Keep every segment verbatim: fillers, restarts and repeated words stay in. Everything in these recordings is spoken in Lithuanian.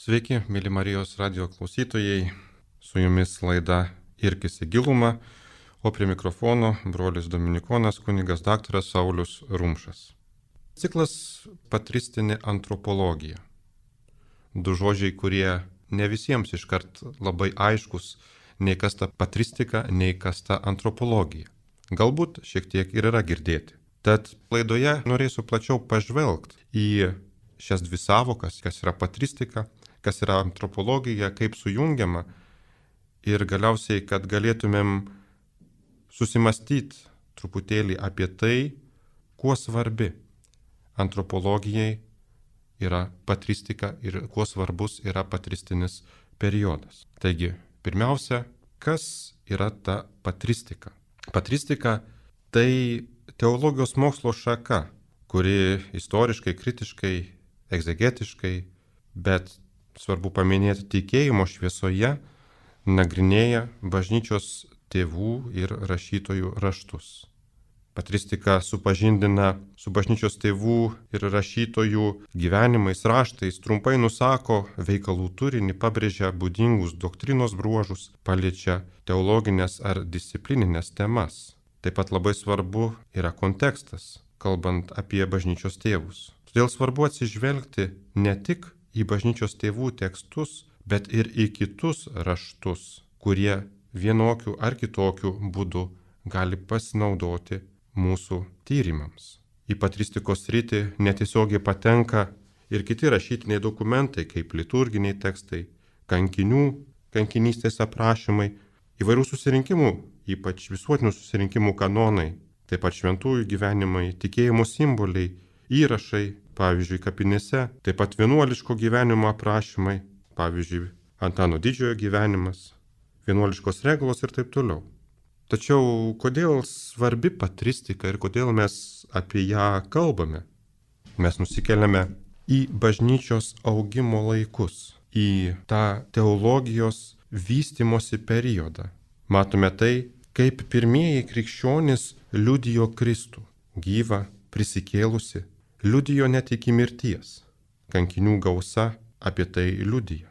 Sveiki, mėly Marijos radio klausytojai, su jumis laida Irkis į gilumą, o prie mikrofono brolis Dominikonas kunigas daktaras Saulius Rumšas. Ciklas patristinė antropologija. Du žodžiai, kurie ne visiems iškart labai aiškus, nei kas ta patristika, nei kas ta antropologija. Galbūt šiek tiek ir yra girdėti. Tad laidoje norėsiu plačiau pažvelgti į šias dvi savokas, kas yra patristika, kas yra antropologija, kaip sujungiama ir galiausiai, kad galėtumėm susimastyti truputėlį apie tai, kuo svarbi antropologijai yra patristika ir kuo svarbus yra patristinis periodas. Taigi, pirmiausia, kas yra ta patristika? Patristika tai teologijos mokslo šaka, kuri istoriškai, kritiškai, egzegetiškai, bet svarbu paminėti tikėjimo šviesoje, nagrinėja bažnyčios tėvų ir rašytojų raštus. Patristika supažindina su bažnyčios tėvų ir rašytojų gyvenimais, raštais, trumpai nusako veikalų turinį, pabrėžia būdingus doktrinos bruožus, paliečia teologinės ar disciplininės temas. Taip pat labai svarbu yra kontekstas, kalbant apie bažnyčios tėvus. Todėl svarbu atsižvelgti ne tik į bažnyčios tėvų tekstus, bet ir į kitus raštus, kurie vienokiu ar kitokiu būdu gali pasinaudoti mūsų tyrimams. Į patristikos sritį netiesiogiai patenka ir kiti rašytiniai dokumentai, kaip liturginiai tekstai, kankinių, kankinystės aprašymai, įvairių susirinkimų, ypač visuotinių susirinkimų kanonai, taip pat šventųjų gyvenimai, tikėjimo simboliai, įrašai, pavyzdžiui, kapinėse, taip pat vienuoliško gyvenimo aprašymai, pavyzdžiui, Antano Didžiojo gyvenimas, vienuoliškos reglos ir taip toliau. Tačiau kodėl svarbi patristika ir kodėl mes apie ją kalbame? Mes nusikeliame į bažnyčios augimo laikus, į tą teologijos vystimosi periodą. Matome tai, kaip pirmieji krikščionys liudijo Kristų, gyvą, prisikėlusi, liudijo net iki mirties. Kankinių gausa apie tai liudija.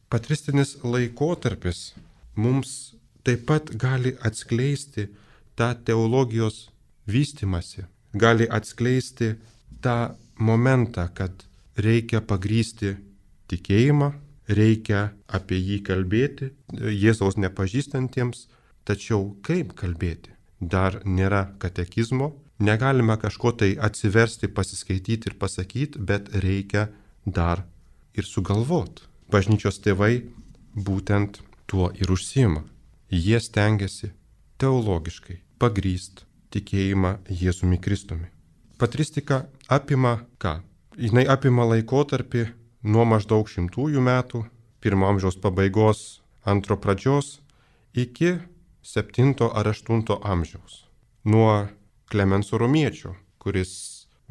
Patristinis laikotarpis mums taip pat gali atskleisti tą teologijos vystimąsi, gali atskleisti tą momentą, kad reikia pagrysti tikėjimą, reikia apie jį kalbėti, Jėzaus nepažįstantiems, tačiau kaip kalbėti? Dar nėra katekizmo, negalime kažko tai atsiversti, pasiskaityti ir pasakyti, bet reikia dar ir sugalvoti. Bažnyčios tėvai būtent tuo ir užsiima. Jie stengiasi teologiškai pagrįsti tikėjimą Jėzumi Kristumi. Patristika apima ką? Jinai apima laikotarpį nuo maždaug šimtųjų metų, pirmo amžiaus pabaigos, antro pradžios, iki septinto ar aštunto amžiaus. Nuo Klemenso Romiečio, kuris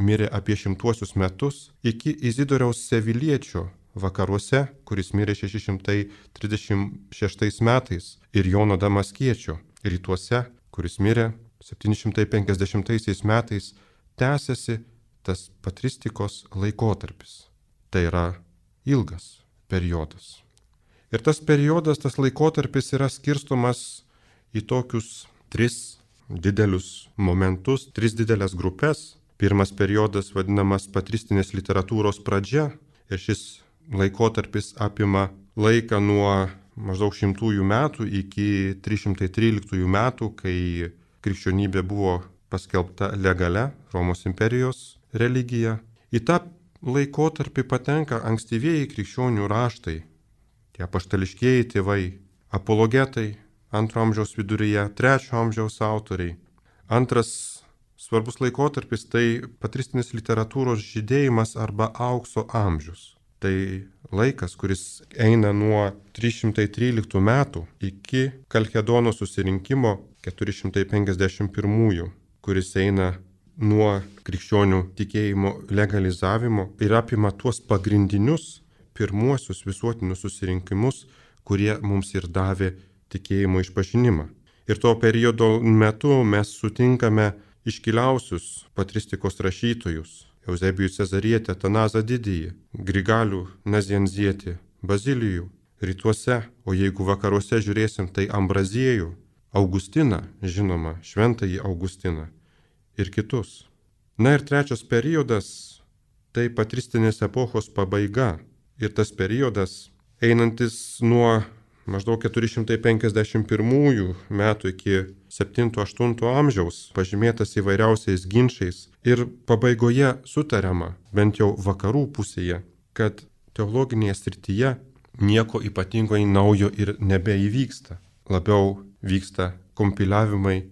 mirė apie šimtuosius metus, iki Izidoriaus Seviliečio vakaruose, kuris mirė šeši šimtai trisdešimt šeštais metais, ir Jono Damaskiečio rytuose, kuris mirė septyni šimtai penkiasdešimtaisiais metais, tęsiasi tas patristikos laikotarpis. Tai yra ilgas periodas. Ir tas periodas, tas laikotarpis yra skirstomas į tokius tris didelius momentus, tris didelės grupės. Pirmas periodas vadinamas patristinės literatūros pradžia ir šis laikotarpis apima laiką nuo maždaug šimtųjų metų iki trys šimtai tryliktųjų metų, kai krikščionybė buvo paskelbta legalia Romos imperijos religija. Į tą laikotarpį patenka ankstyvieji krikščionių raštai, tie apaštališkieji tėvai, apologetai, antro amžiaus viduryje, trečio amžiaus autoriai. Antras svarbus laikotarpis tai patristinis literatūros žydėjimas arba aukso amžius. Tai laikas, kuris eina nuo trys šimtai tryliktų metų iki Kalkedono susirinkimo keturi šimtai penkiasdešimt pirmųjų, kuris eina nuo krikščionių tikėjimo legalizavimo ir apima tuos pagrindinius pirmuosius visuotinius susirinkimus, kurie mums ir davė tikėjimo išpažinimą. Ir to periodo metu mes sutinkame iškiliausius patristikos rašytojus, Euzebijų Cezarietį, Atanazą Didįjį, Grigalių Nazianzietį, Bazilijų, rytuose, o jeigu vakaruose žiūrėsim, tai Ambraziejų, Augustiną, žinoma, šventąjį Augustiną ir kitus. Na ir trečias periodas – tai patristinės epochos pabaiga ir tas periodas einantis nuo maždaug keturi šimtai penkiasdešimt pirmųjų metų iki septinto aštunto amžiaus, pažymėtas įvairiausiais ginčiais ir pabaigoje sutariama, bent jau vakarų pusėje, kad teologinėje srityje nieko ypatingai naujo ir nebeįvyksta. Labiau vyksta kompiliavimai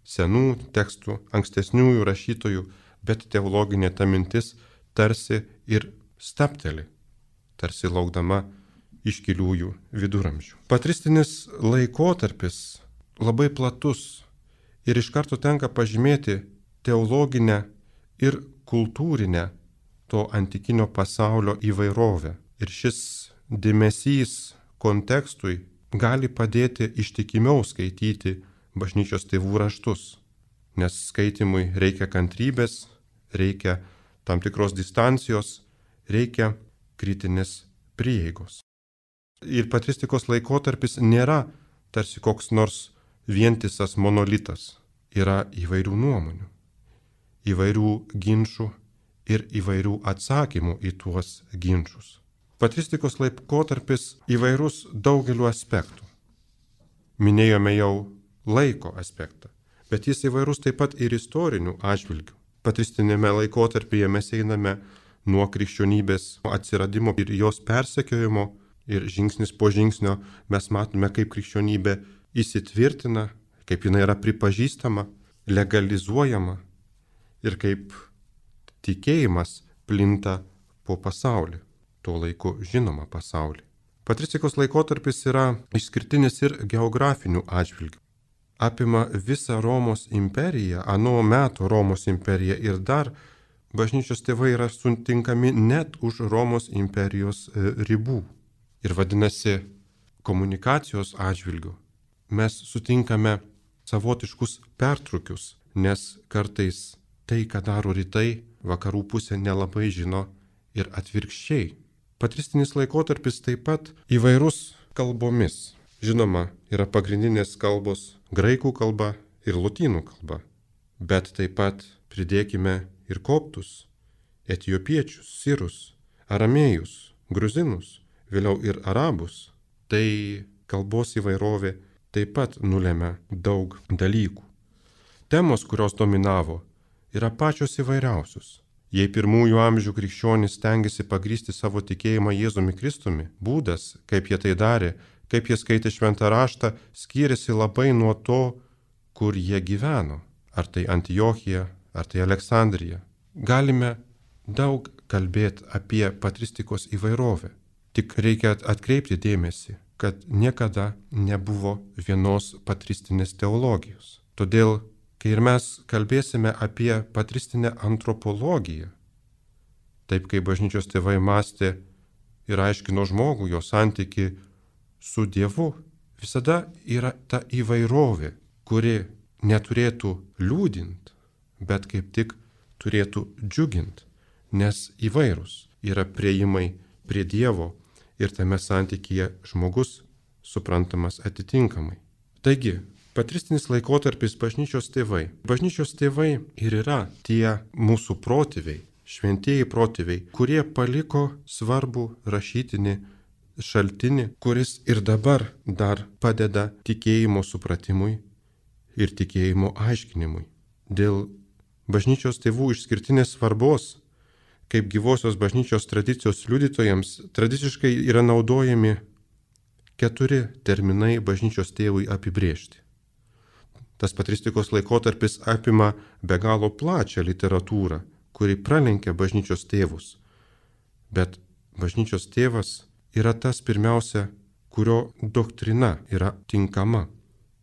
senų tekstų, ankstesniųjų rašytojų, bet teologinė ta mintis tarsi ir stapteli, tarsi laukdama iškiliųjų viduramžių. Patristinis laikotarpis labai platus ir iš karto tenka pažymėti teologinę ir kultūrinę to antikinio pasaulio įvairovę. Ir šis dėmesys kontekstui gali padėti ištikimiau skaityti bažnyčios tėvų raštus, nes skaitimui reikia kantrybės, reikia tam tikros distancijos, reikia kritinės prieigos. Ir patristikos laikotarpis nėra tarsi koks nors vientisas monolitas. Yra įvairių nuomonių, įvairių ginčių ir įvairių atsakymų į tuos ginčius. Patristikos laikotarpis įvairus daugeliu aspektų. Minėjome jau laiko aspektą, bet jis įvairus taip pat ir istorinių atžvilgių. Patristinėme laikotarpyje mes einame nuo krikščionybės atsiradimo ir jos persekiojimo ir žingsnis po žingsnio mes matome, kaip krikščionybė įsitvirtina, kaip jinai yra pripažįstama, legalizuojama ir kaip tikėjimas plinta po pasaulį, tuo laiku žinoma pasaulį. Patristikos laikotarpis yra išskirtinis ir geografinių atžvilgių. Apima visą Romos imperiją, ano meto Romos imperiją ir dar bažnyčios tėvai yra sutinkami net už Romos imperijos ribų. Ir vadinasi, komunikacijos atžvilgių mes sutinkame savotiškus pertrūkius, nes kartais tai, ką daro rytai, vakarų pusė nelabai žino ir atvirkščiai. Patristinis laikotarpis taip pat įvairus kalbomis. Žinoma, yra pagrindinės kalbos graikų kalba ir lotynų kalba, bet taip pat pridėkime ir koptus, etiopiečius, sirus, aramėjus, gruzinus, vėliau ir arabus. Tai kalbos įvairovė taip pat nulėmė daug dalykų. Temos, kurios dominavo, yra pačios įvairiausios. Jei pirmųjų amžių krikščionys stengiasi pagrįsti savo tikėjimą Jėzumi Kristumi, būdas, kaip jie tai darė, kaip jie skaitė šventą raštą, skyrėsi labai nuo to, kur jie gyveno. Ar tai Antiochija, ar tai Aleksandrija. Galime daug kalbėti apie patristikos įvairovę. Tik reikia atkreipti dėmesį, kad niekada nebuvo vienos patristinės teologijos. Todėl, kai ir mes kalbėsime apie patristinę antropologiją, taip kaip bažnyčios tėvai mąstė ir aiškino žmogų, jo santyki su Dievu, visada yra ta įvairovė, kuri neturėtų liūdint, bet kaip tik turėtų džiugint, nes įvairūs yra priėjimai prie Dievo ir tame santykyje žmogus suprantamas atitinkamai. Taigi, patristinis laikotarpis bažnyčios tėvai. Bažnyčios tėvai ir yra tie mūsų protėviai, šventieji protėviai, kurie paliko svarbų rašytinį šaltinį, kuris ir dabar dar padeda tikėjimo supratimui ir tikėjimo aiškinimui. Dėl bažnyčios tėvų išskirtinės svarbos, kaip gyvosios bažnyčios tradicijos liudytojams, tradiciškai yra naudojami keturi terminai bažnyčios tėvui apibrėžti. Tas patristikos laikotarpis apima be galo plačią literatūrą, kuri pralenkia bažnyčios tėvus. Bet bažnyčios tėvas yra tas pirmiausia, kurio doktrina yra tinkama,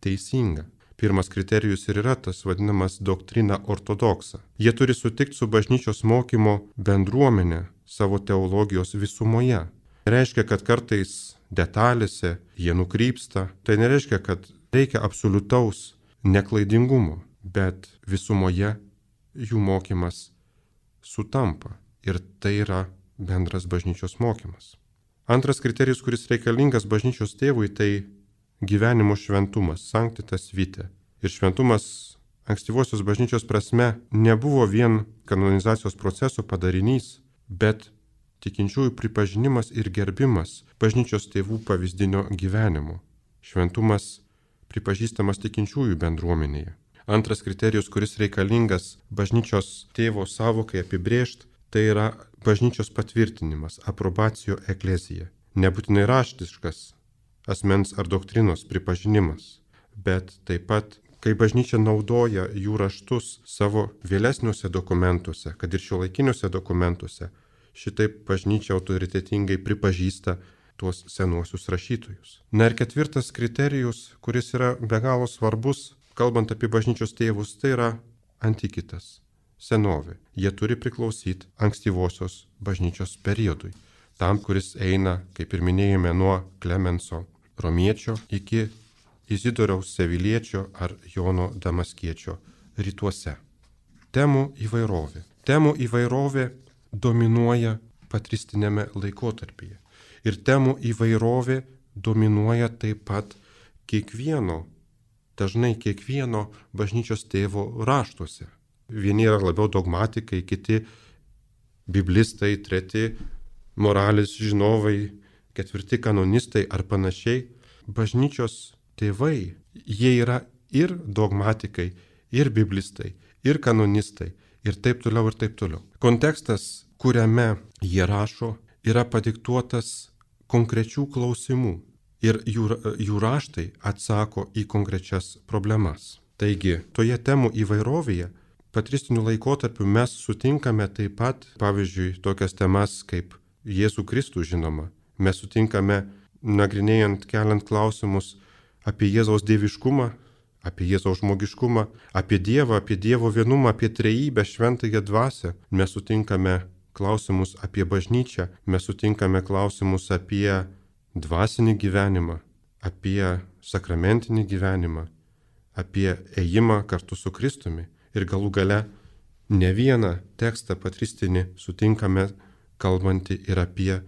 teisinga. Pirmas kriterijus ir yra tas vadinamas doktrina ortodoksa. Jie turi sutikti su bažnyčios mokymo bendruomenė savo teologijos visumoje. Reiškia, kad kartais detalėse jie nukrypsta. Tai nereiškia, kad reikia absoliutaus neklaidingumo, bet visumoje jų mokymas sutampa. Ir tai yra bendras bažnyčios mokymas. Antras kriterijus, kuris reikalingas bažnyčios tėvui, tai gyvenimo šventumas, sanctitas vitae. Ir šventumas ankstyvosios bažnyčios prasme nebuvo vien kanonizacijos proceso padarinys, bet tikinčiųjų pripažinimas ir gerbimas bažnyčios tėvų pavyzdinio gyvenimo. Šventumas pripažįstamas tikinčiųjų bendruomenėje. Antras kriterijus, kuris reikalingas bažnyčios tėvo savokai apibrėžti, tai yra bažnyčios patvirtinimas, aprobacijo eklezija. Nebūtinai raštiškas asmens ar doktrinos pripažinimas, bet taip pat, kai bažnyčia naudoja jų raštus savo vėlesniuose dokumentuose, kad ir šiuolaikiniuose dokumentuose, šitaip bažnyčia autoritetingai pripažįsta tuos senuosius rašytojus. Na ir ketvirtas kriterijus, kuris yra be galo svarbus, kalbant apie bažnyčios tėvus, tai yra antikitas, senovė. Jie turi priklausyti ankstyvosios bažnyčios periodui, tam, kuris eina, kaip ir minėjome, nuo Klemenso Romiečio iki Izidoriaus Seviliečio ar Jono Damaskiečio rytuose. Temų įvairovė. Temų įvairovė dominuoja patristinėme laikotarpyje. Ir temų įvairovė dominuoja taip pat kiekvieno, dažnai kiekvieno bažnyčios tėvo raštuose. Vieni yra labiau dogmatikai, kiti biblistai, treti moralės žinovai, ketvirti kanonistai ar panašiai. Bažnyčios tėvai, jie yra ir dogmatikai, ir biblistai, ir kanonistai, ir taip toliau, ir taip toliau. Kontekstas, kuriame jie rašo, yra padiktuotas konkrečių klausimų ir jų, jų raštai atsako į konkrečias problemas. Taigi, toje temų įvairovėje patristiniu laikotarpiu mes sutinkame taip pat, pavyzdžiui, tokias temas kaip Jėzų Kristų žinoma. Mes sutinkame, nagrinėjant, keliant klausimus apie Jėzaus dieviškumą, apie Jėzaus žmogiškumą, apie Dievą, apie Dievo vienumą, apie trejybę, šventąją dvasią. Mes sutinkame klausimus apie bažnyčią, mes sutinkame klausimus apie dvasinį gyvenimą, apie sakramentinį gyvenimą, apie ėjimą kartu su Kristumi. Ir galų gale ne vieną tekstą patristinį sutinkame kalbantį ir apie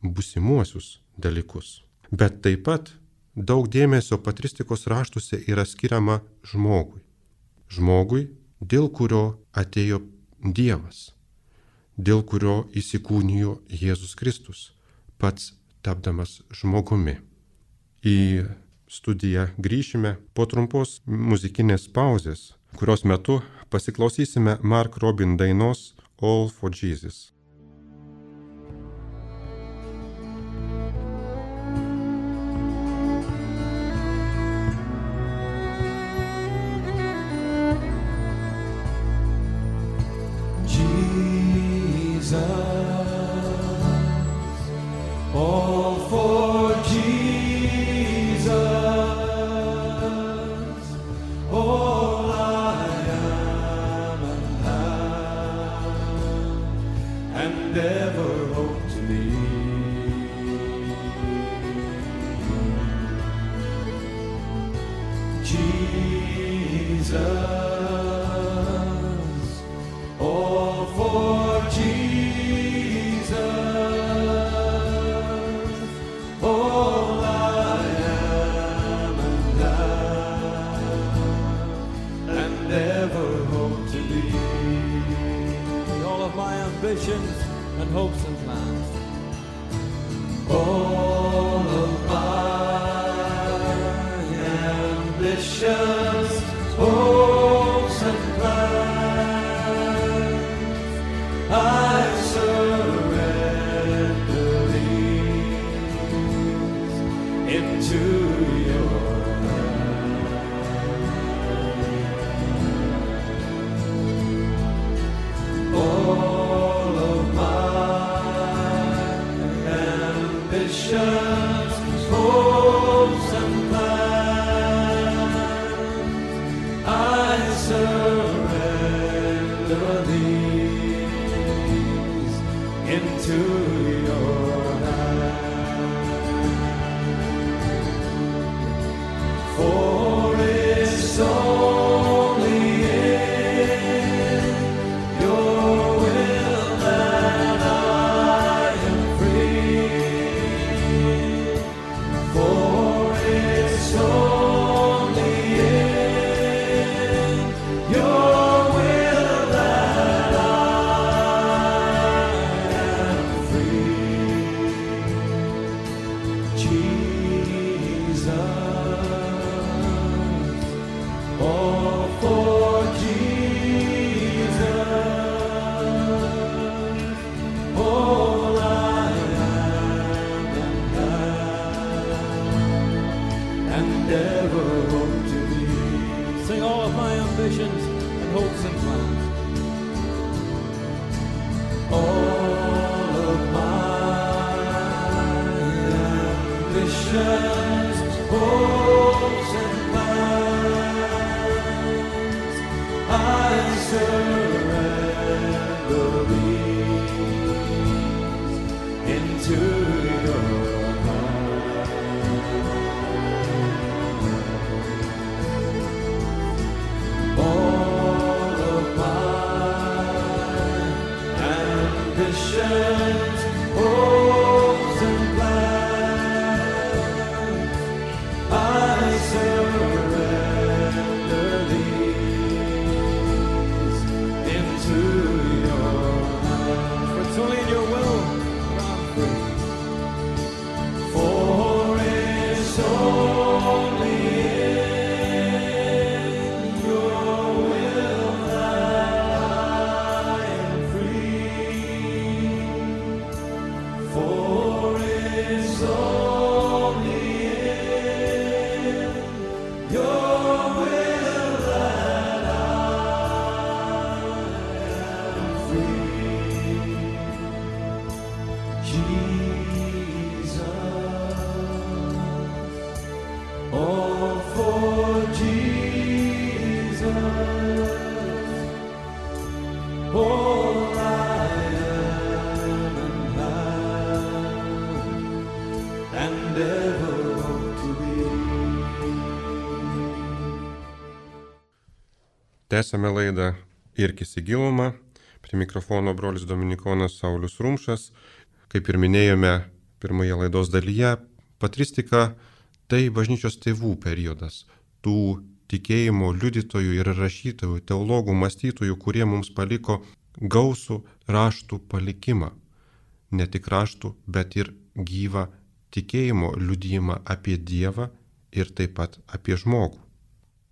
būsimuosius dalykus. Bet taip pat daug dėmesio patristikos raštuose yra skiriama žmogui. Žmogui, dėl kurio atėjo Dievas, dėl kurio įsikūnijo Jėzus Kristus, pats tapdamas žmogumi. Į studiją grįšime po trumpos muzikinės pauzės, kurios metu pasiklausysime Mark Robin dainos All for Jesus. And hopes and plans. All of my ambitions, hopes and plans, I surrender these into your hand. All of ambitions, hopes and plans, I surrender these into your hand. For it's only in your will that I am free. aspirations and hopes and plans. All of my ambitions, hopes and plans, I surrender these into your hands. All of my ambitions, hopes and plans, I surrender these into your hands. For it's only in your will that I'm free. For it's only in your will that I am free. For it's only in your will that I am free. Jesus, all for Jesus, all I am and have, and ever hope to be. Tęsame laidą Irkis į gilumą. Prie mikrofono brolis Dominikonas Saulius Rumšas. Kaip ir minėjome pirmoje laidos dalyje, patristika tai bažnyčios tėvų periodas. Tų tikėjimo liudytojų ir rašytojų, teologų, mąstytojų, kurie mums paliko gausų raštų palikimą. Ne tik raštų, bet ir gyvą tikėjimo liudijimą apie Dievą ir taip pat apie žmogų.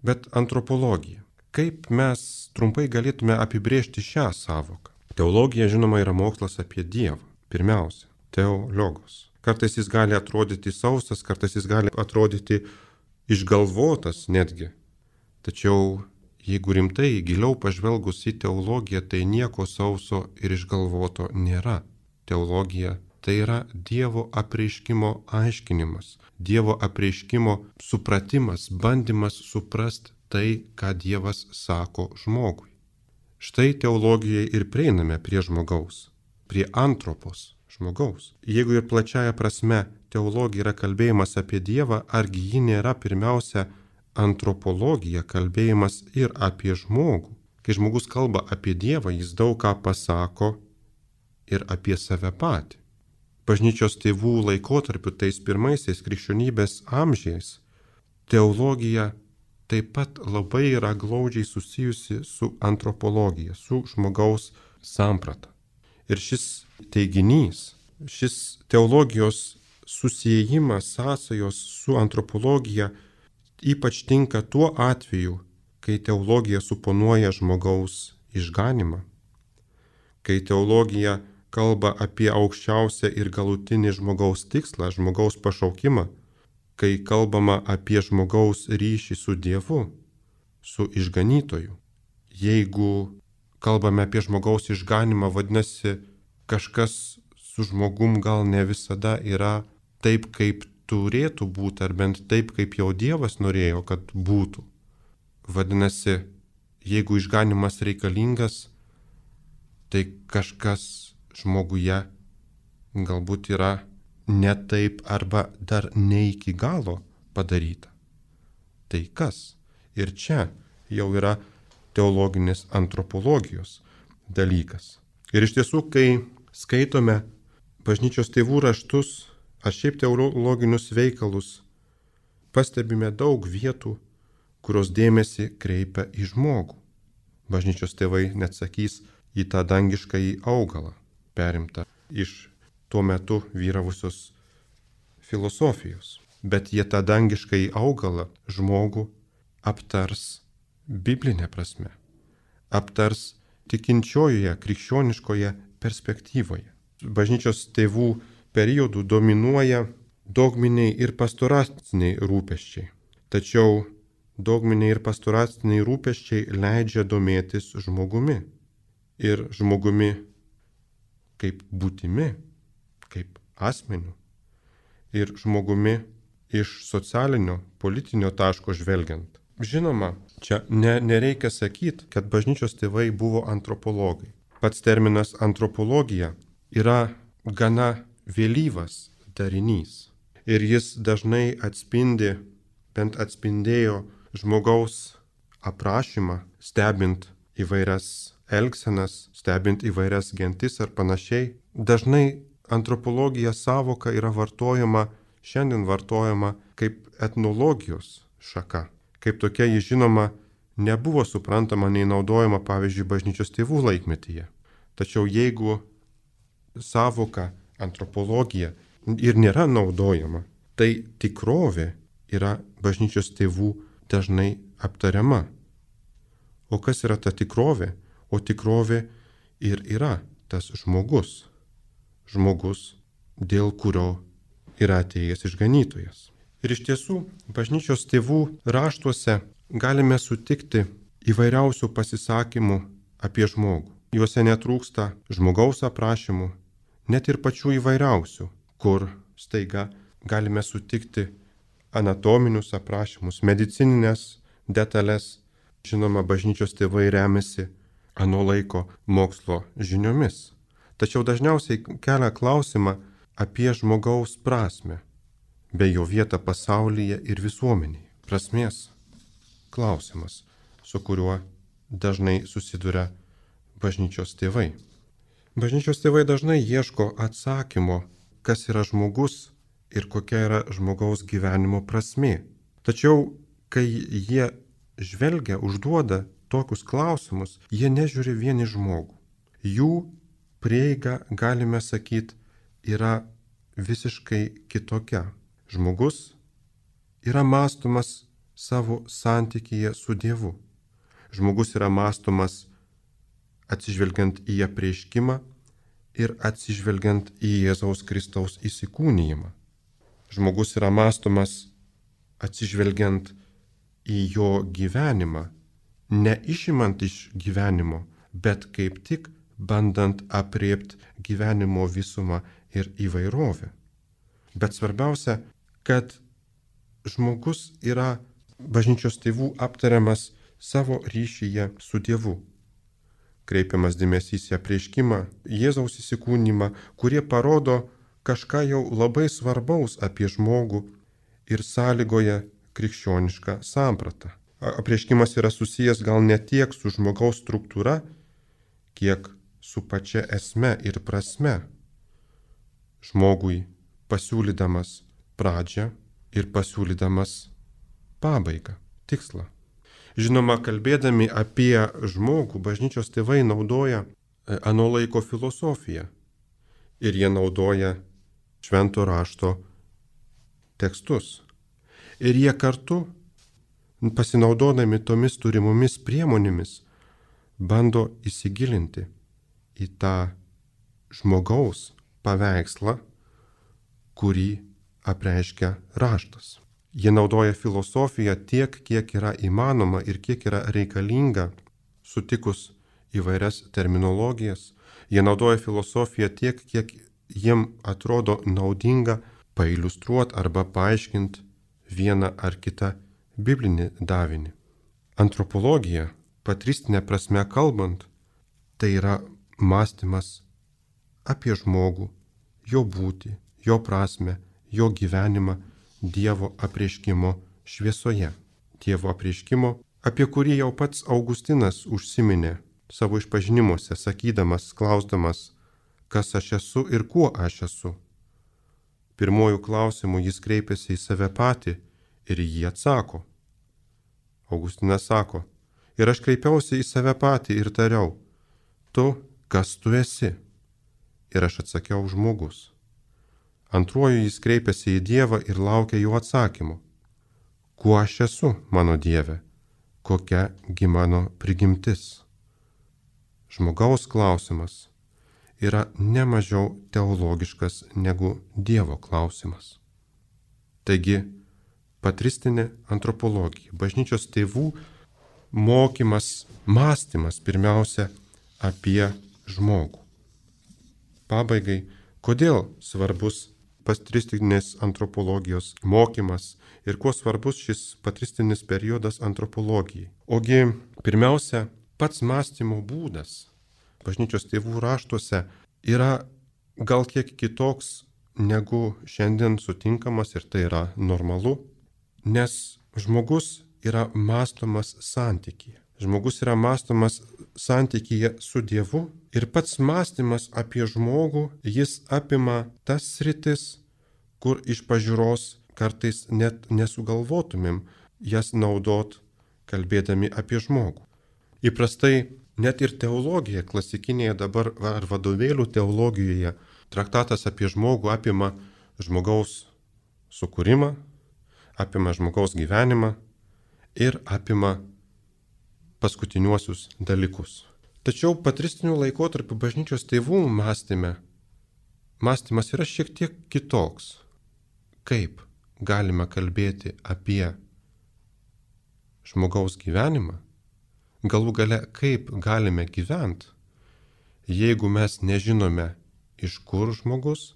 Bet antropologija. Kaip mes trumpai galėtume apibrėžti šią sąvoką? Teologija, žinoma, yra mokslas apie Dievą. Pirmiausia, teologos. Kartais jis gali atrodyti sausas, kartais jis gali atrodyti išgalvotas netgi. Tačiau, jeigu rimtai, giliau pažvelgus į teologiją, tai nieko sauso ir išgalvoto nėra. Teologija tai yra Dievo apreiškimo aiškinimas, Dievo apreiškimo supratimas, bandymas suprasti tai, ką Dievas sako žmogui. Štai teologijai ir prieiname prie žmogaus, prie antropos žmogaus. Jeigu ir plačiaja prasme teologija yra kalbėjimas apie Dievą, argi ji nėra pirmiausia antropologija, kalbėjimas ir apie žmogų. Kai žmogus kalba apie Dievą, jis daug ką pasako ir apie save patį. Bažnyčios tėvų laikotarpiu, tais pirmaisiais krikščionybės amžiais, teologija taip pat labai yra glaudžiai susijusi su antropologija, su žmogaus samprata. Ir šis teiginys, šis teologijos susiejimas, sąsajos su antropologija ypač tinka tuo atveju, kai teologija suponuoja žmogaus išganimą, kai teologija kalba apie aukščiausią ir galutinį žmogaus tikslą, žmogaus pašaukimą, kai kalbama apie žmogaus ryšį su Dievu, su išganytoju. Jeigu kalbame apie žmogaus išganimą, vadinasi, kažkas su žmogum gal ne visada yra taip, kaip turėtų būti, ar bent taip, kaip jau Dievas norėjo, kad būtų. Vadinasi, jeigu išganimas reikalingas, tai kažkas žmoguje galbūt yra ne taip arba dar ne iki galo padaryta. Tai kas? Ir čia jau yra teologinės antropologijos dalykas. Ir iš tiesų, kai skaitome bažnyčios tėvų raštus, ar šiaip teologinius veikalus, pastebime daug vietų, kurios dėmesį kreipia į žmogų. Bažnyčios tėvai net sakys į tą dangiškąjį augalą, perimtą iš tuo metu vyravusios filosofijos. Bet jie tą dangiškąjį augalą, žmogų, aptars biblinė prasme, aptars tikinčiojoje, krikščioniškoje perspektyvoje. Bažnyčios tėvų periodų dominuoja dogminiai ir pastoraciniai rūpesčiai. Tačiau dogminiai ir pastoraciniai rūpesčiai leidžia domėtis žmogumi. Ir žmogumi kaip būtimi, kaip asmeniu. Ir žmogumi iš socialinio, politinio taško žvelgiant. Žinoma, čia ne, nereikia sakyti, kad bažnyčios tėvai buvo antropologai. Pats terminas antropologija yra gana vėlyvas darinys. Ir jis dažnai atspindi, bent atspindėjo žmogaus aprašymą, stebint įvairias elgsenas, stebint įvairias gentis ar panašiai. Dažnai antropologija savoka yra vartojama, šiandien vartojama kaip etnologijos šaka. Kaip tokia ji žinoma nebuvo suprantama nei naudojama, pavyzdžiui, bažnyčios tėvų laikmetyje. Tačiau jeigu savoka antropologija ir nėra naudojama, tai tikrovė yra bažnyčios tėvų dažnai aptariama. O kas yra ta tikrovė? O tikrovė ir yra tas žmogus. Žmogus, dėl kurio yra atėjęs išganytojas. Ir iš tiesų, bažnyčios tėvų raštuose galime sutikti įvairiausių pasisakymų apie žmogų. Juose netrūksta žmogaus aprašymų, net ir pačių įvairiausių, kur staiga galime sutikti anatominius aprašymus, medicininės detalės. Žinoma, bažnyčios tėvai remiasi ano laiko mokslo žiniomis. Tačiau dažniausiai kelia klausimą apie žmogaus prasmę, bei jo vietą pasaulyje ir visuomenėje. Prasmės klausimas, su kuriuo dažnai susiduria bažnyčios tėvai. Bažnyčios tėvai dažnai ieško atsakymo, kas yra žmogus ir kokia yra žmogaus gyvenimo prasmė. Tačiau, kai jie žvelgia, užduoda tokius klausimus, jie nežiūri vien į žmogų. Jų prieiga, galime sakyti, yra visiškai kitokia. Žmogus yra mąstomas savo santykyje su Dievu. Žmogus yra mąstomas atsižvelgiant į apreiškimą ir atsižvelgiant į Jėzaus Kristaus įsikūnijimą. Žmogus yra mąstomas atsižvelgiant į jo gyvenimą, neišimant iš gyvenimo, bet kaip tik bandant apriepti gyvenimo visumą ir įvairovę. Bet svarbiausia, kad žmogus yra bažnyčios tėvų aptariamas savo ryšyje su Dievu. Kreipiamas dėmesys į apreiškimą, Jėzaus įsikūnymą, kurie parodo kažką jau labai svarbaus apie žmogų ir sąlygoja krikščionišką sampratą. Apreiškimas yra susijęs gal ne tiek su žmogaus struktūra, kiek su pačia esme ir prasme. Žmogui pasiūlydamas pradžią ir pasiūlydamas pabaigą, tikslą. Žinoma, kalbėdami apie žmogų, bažnyčios tėvai naudoja ano laiko filosofiją ir jie naudoja švento rašto tekstus. Ir jie kartu, pasinaudodami tomis turimomis priemonėmis, bando įsigilinti į tą žmogaus paveikslą, kurį apreiškia raštas. Jie naudoja filosofiją tiek, kiek yra įmanoma ir kiek yra reikalinga, sutikus įvairias terminologijas. Jie naudoja filosofiją tiek, kiek jiem atrodo naudinga pailiustruoti arba paaiškinti vieną ar kitą biblinį davinį. Antropologija, patristinė prasme kalbant, tai yra mąstymas apie žmogų, jo būtį, jo prasmę, jo gyvenimą Dievo apreiškimo šviesoje. Dievo apreiškimo, apie kurį jau pats Augustinas užsiminė savo išpažinimuose, sakydamas, klausdamas, kas aš esu ir kuo aš esu. Pirmojų klausimų jis kreipiasi į save patį ir jį atsako. Augustinas sako, ir aš kreipiausi į save patį ir tariau, tu, kas tu esi? Ir aš atsakiau, žmogus. Antruoju jis kreipiasi į Dievą ir laukia jo atsakymų. Kuo aš esu, mano Dieve? Kokia gi mano prigimtis? Žmogaus klausimas yra nemažiau teologiškas negu Dievo klausimas. Taigi, patristinė antropologija, bažnyčios tėvų mokymas, mąstymas pirmiausia apie žmogų. Pabaigai, kodėl svarbus patristinės antropologijos mokymas ir kuo svarbus šis patristinis periodas antropologijai. Ogi pirmiausia, pats mąstymo būdas bažnyčios tėvų raštuose yra gal kiek kitoks negu šiandien sutinkamas, ir tai yra normalu, nes žmogus yra mąstomas santykyje. Žmogus yra mąstomas santykyje su Dievu ir pats mąstymas apie žmogų, jis apima tas sritis, kur iš pažiūros kartais net nesugalvotumėm jas naudot, kalbėdami apie žmogų. Įprastai net ir teologija klasikinėje dabar ar vadovėlių teologijoje traktatas apie žmogų apima žmogaus sukūrimą, apima žmogaus gyvenimą ir apima paskutiniuosius dalykus. Tačiau patristiniu laikotarpiu bažnyčios tėvų mąstyme, mąstymas yra šiek tiek kitoks. Kaip galime kalbėti apie žmogaus gyvenimą, galų gale kaip galime gyventi, jeigu mes nežinome, iš kur žmogus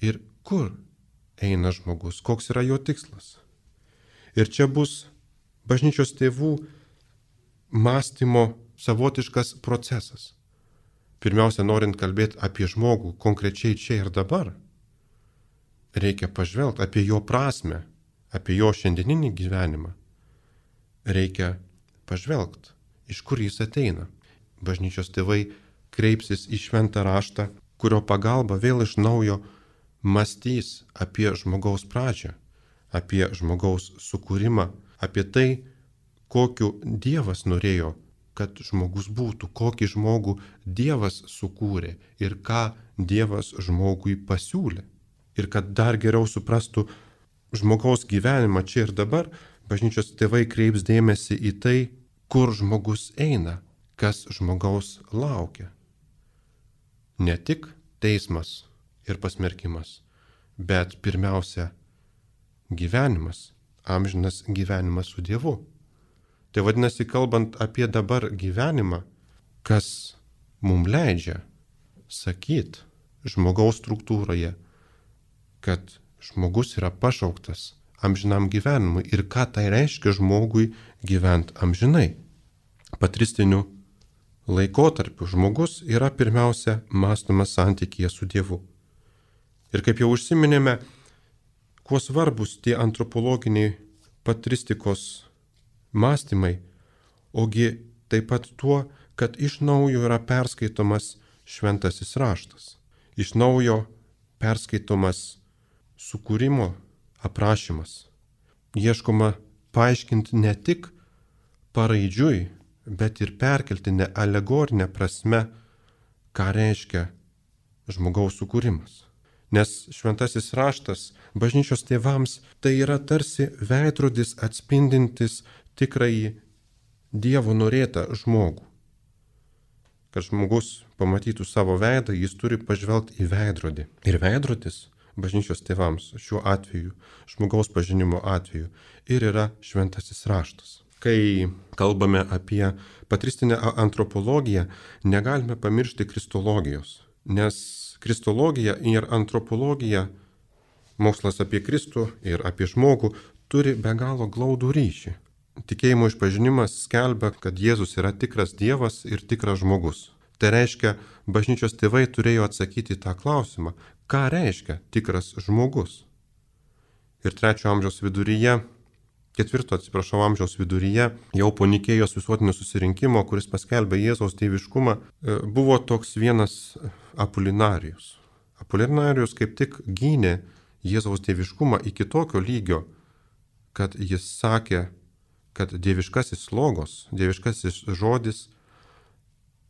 ir kur eina žmogus, koks yra jo tikslas. Ir čia bus bažnyčios tėvų mąstymo savotiškas procesas. Pirmiausia, norint kalbėti apie žmogų konkrečiai čia ir dabar, reikia pažvelgti apie jo prasmę, apie jo šiandieninį gyvenimą. Reikia pažvelgti, iš kur jis ateina. Bažnyčios tėvai kreipsis į šventą raštą, kurio pagalba vėl iš naujo mąstys apie žmogaus pradžią, apie žmogaus sukūrimą, apie tai, kokiu Dievas norėjo, kad žmogus būtų, kokį žmogų Dievas sukūrė ir ką Dievas žmogui pasiūlė. Ir kad dar geriau suprastų žmogaus gyvenimą čia ir dabar, bažnyčios tėvai kreips dėmesį į tai, kur žmogus eina, kas žmogaus laukia. Ne tik teismas ir pasmerkimas, bet pirmiausia gyvenimas, amžinas gyvenimas su Dievu. Tai vadinasi, kalbant apie dabar gyvenimą, kas mums leidžia sakyti žmogaus struktūroje, kad žmogus yra pašauktas amžinam gyvenimui ir ką tai reiškia žmogui gyventi amžinai. Patristiniu laikotarpiu žmogus yra pirmiausia mąstomas santykyje su Dievu. Ir kaip jau užsiminėme, kuo svarbus tie antropologiniai patristikos mąstymai, ogi taip pat tuo, kad iš naujo yra perskaitomas šventasis raštas. Iš naujo perskaitomas sukūrimo aprašymas. Ieškoma paaiškinti ne tik paraidžiui, bet ir perkeltinę alegorinę prasme, ką reiškia žmogaus sukūrimas. Nes šventasis raštas bažnyčios tėvams tai yra tarsi veidrodis atspindintis tikrąjį Dievo norėtą žmogų. Kad žmogus pamatytų savo veidą, jis turi pažvelgti į veidrodį. Ir veidrodis bažnyčios tėvams šiuo atveju, žmogaus pažinimo atveju, ir yra šventasis raštas. Kai kalbame apie patristinę antropologiją, negalime pamiršti kristologijos, nes kristologija ir antropologija, mokslas apie Kristų ir apie žmogų, turi be galo glaudų ryšį. Tikėjimo išpažinimas skelbia, kad Jėzus yra tikras Dievas ir tikras žmogus. Tai reiškia, bažnyčios tėvai turėjo atsakyti tą klausimą, ką reiškia tikras žmogus. Ir trečio amžiaus viduryje, ketvirto atsiprašau amžiaus viduryje, jau po Nikėjos visuotinio susirinkimo, kuris paskelbė Jėzaus dieviškumą, buvo toks vienas Apolinarijus. Apolinarijus kaip tik gynė Jėzaus dieviškumą iki tokio lygio, kad jis sakė, kad dieviškasis logos, dieviškasis žodis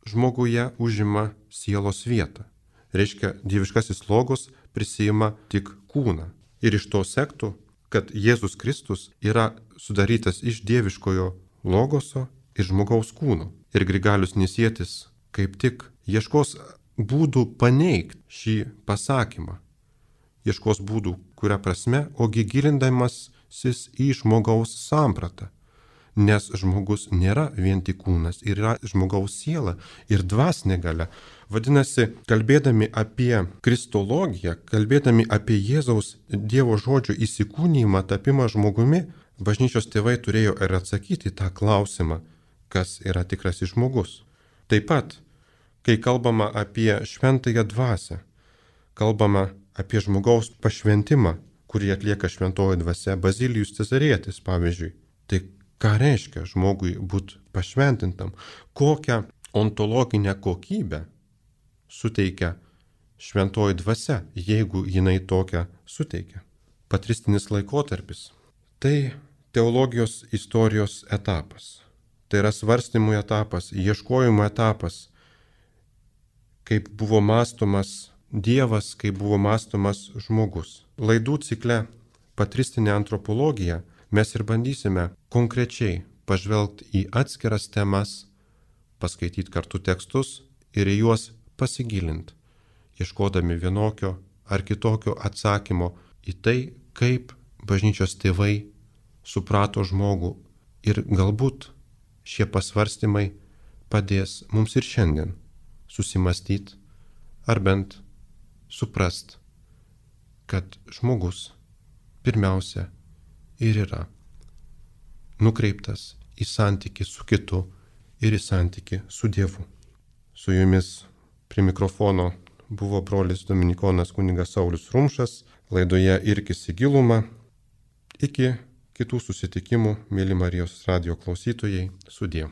žmoguje užima sielos vietą. Reiškia, dieviškasis logos prisima tik kūną. Ir iš to sektų, kad Jėzus Kristus yra sudarytas iš dieviškojo logoso ir žmogaus kūno. Ir Grigalius Nisietis kaip tik ieškos būdų paneigti šį pasakymą. ieškos būdų, kuria prasme, ogi gilindamasis į žmogaus sampratą. Nes žmogus nėra vien tik kūnas, yra žmogaus siela ir dvasinė galia. Vadinasi, kalbėdami apie kristologiją, kalbėdami apie Jėzaus Dievo žodžio įsikūnijimą, tapimą žmogumi, bažnyčios tėvai turėjo ir atsakyti tą klausimą, kas yra tikrasis žmogus. Taip pat, kai kalbama apie šventąją dvasią, kalbama apie žmogaus pašventimą, kurį atlieka šventoji dvasia, Bazilijus Cezarietis, pavyzdžiui. Tai ką reiškia žmogui būti pašventintam? Kokią ontologinę kokybę suteikia šventoji dvasia, jeigu jinai tokią suteikia? Patristinis laikotarpis. Tai teologijos istorijos etapas. Tai yra svarstymų etapas, ieškojimo etapas, kaip buvo mąstomas Dievas, kaip buvo mąstomas žmogus. Laidų cikle Patristinė antropologija mes ir bandysime konkrečiai pažvelgti į atskiras temas, paskaityti kartu tekstus ir į juos pasigilinti, ieškodami vienokio ar kitokio atsakymo į tai, kaip bažnyčios tėvai suprato žmogų, ir galbūt šie pasvarstymai padės mums ir šiandien susimastyti ar bent suprast, kad žmogus pirmiausia ir yra nukreiptas į santykį su kitu ir į santykį su Dievu. Su jumis prie mikrofono buvo brolis dominikonas kunigas Saulius Rumšas, laidoje Irkis į gilumą. Iki kitų susitikimų, mėly Marijos radijo klausytojai, sudie.